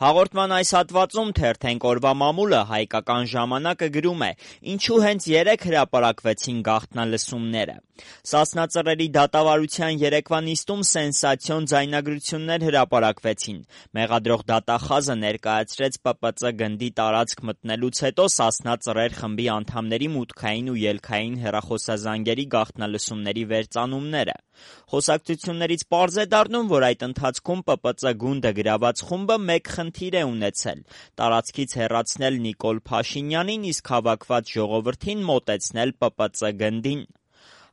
Հաղորդման այս հատվածում թերթենք օրվա մամուլը հայկական ժամանակը գրում է. ինչու հենց 3 հրապարակվեցին գաղտնալսումները։ Սասնա դատավարության երեկվա նիստում սենսացիոն ձայնագրություններ հրապարակվեցին։ Մեղադրող դատախազը ներկայացրեց ՊՊԾ գնդի տարածք մտնելուց հետո Սասնա ծռեր խմբի անդամների մուտքային ու ելքային հեռախոսազանգերի գաղտնալսումների վերծանումները։ Խոսակցություններից պարզ է դառնում, որ այդ ընթացքում ՊՊԾ գունդը գրաված խումբը մեկ խնդիր է ունեցել՝ տարածքից հեռացնել Նիկոլ Փաշինյանին, իսկ հավաքված ժողովրդին մոտեցնել ՊՊԾ գնդին։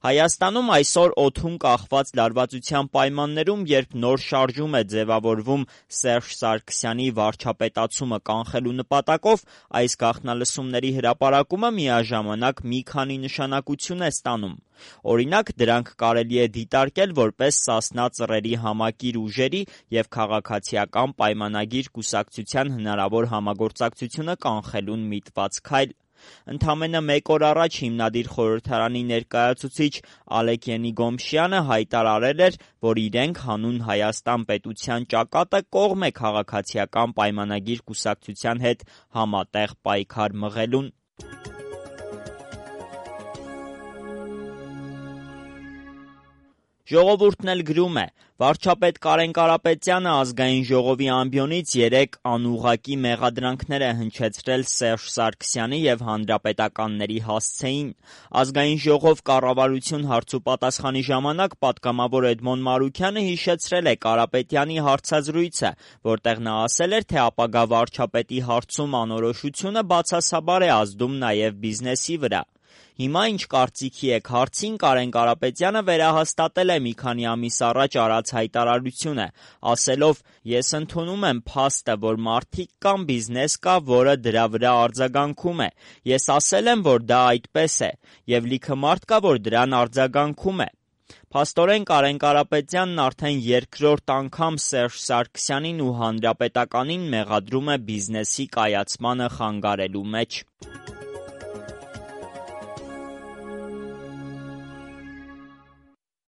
Հայաստանում այսօր օդում կախված լարվածության պայմաններում, երբ նոր շարժում է ձևավորվում Սերժ Սարգսյանի վարչապետացումը կանխելու նպատակով, այս գաղտնալսումների հրապարակումը միաժամանակ մի քանի նշանակություն է ստանում։ Օրինակ, դրանք կարելի է դիտարկել որպես Սասնա ծռերի համակիր ուժերի և քաղաքացիական պայմանագիր կուսակցության հնարավոր համագործակցությունը կանխելուն միտված քայլ։ Ընդամենը մեկ օր առաջ հիմնադիր խորհրդարանի ներկայացուցիչ Ալեք Ենիգոմշյանը հայտարարել էր, որ իրենք հանուն Հայաստան պետության ճակատը կողմ է քաղաքացիական պայմանագիր կուսակցության հետ համատեղ պայքար մղելուն։ Ժողովուրդն էլ գրում է. վարչապետ Կարեն Կարապետյանը Ազգային ժողովի ամբիոնից 3 անուղղակի մեղադրանքներ է հնչեցրել Սերժ Սարգսյանի և հանրապետականների հասցեին։ Ազգային ժողով կառավարություն հարցուպատասխանի ժամանակ պատգամավոր Էդմոն Մարուքյանը հիշեցրել է Կարապետյանի հարցազրույցը, որտեղ նա ասել էր, թե ապագա վարչապետի հարցում անորոշությունը բացասաբար է ազդում նաև բիզնեսի վրա։ Հիմա ինչ կարծիքի եք հարցին Կարեն Կարապետյանը վերահաստատել է մի քանի ամիս առաջ արած հայտարարությունը, ասելով. «Ես ընդունում եմ փաստը, որ մարդիկ կան, բիզնես կա, որը դրա վրա արձագանքում է։ Ես ասել եմ, որ դա այդպես է, և լիքը մարդ կա, որ դրան արձագանքում է»։ Փաստորեն Կարեն Կարապետյանն արդեն երկրորդ անգամ Սերժ Սարգսյանին ու հանրապետականին մեղադրում է բիզնեսի կայացմանը խանգարելու մեջ։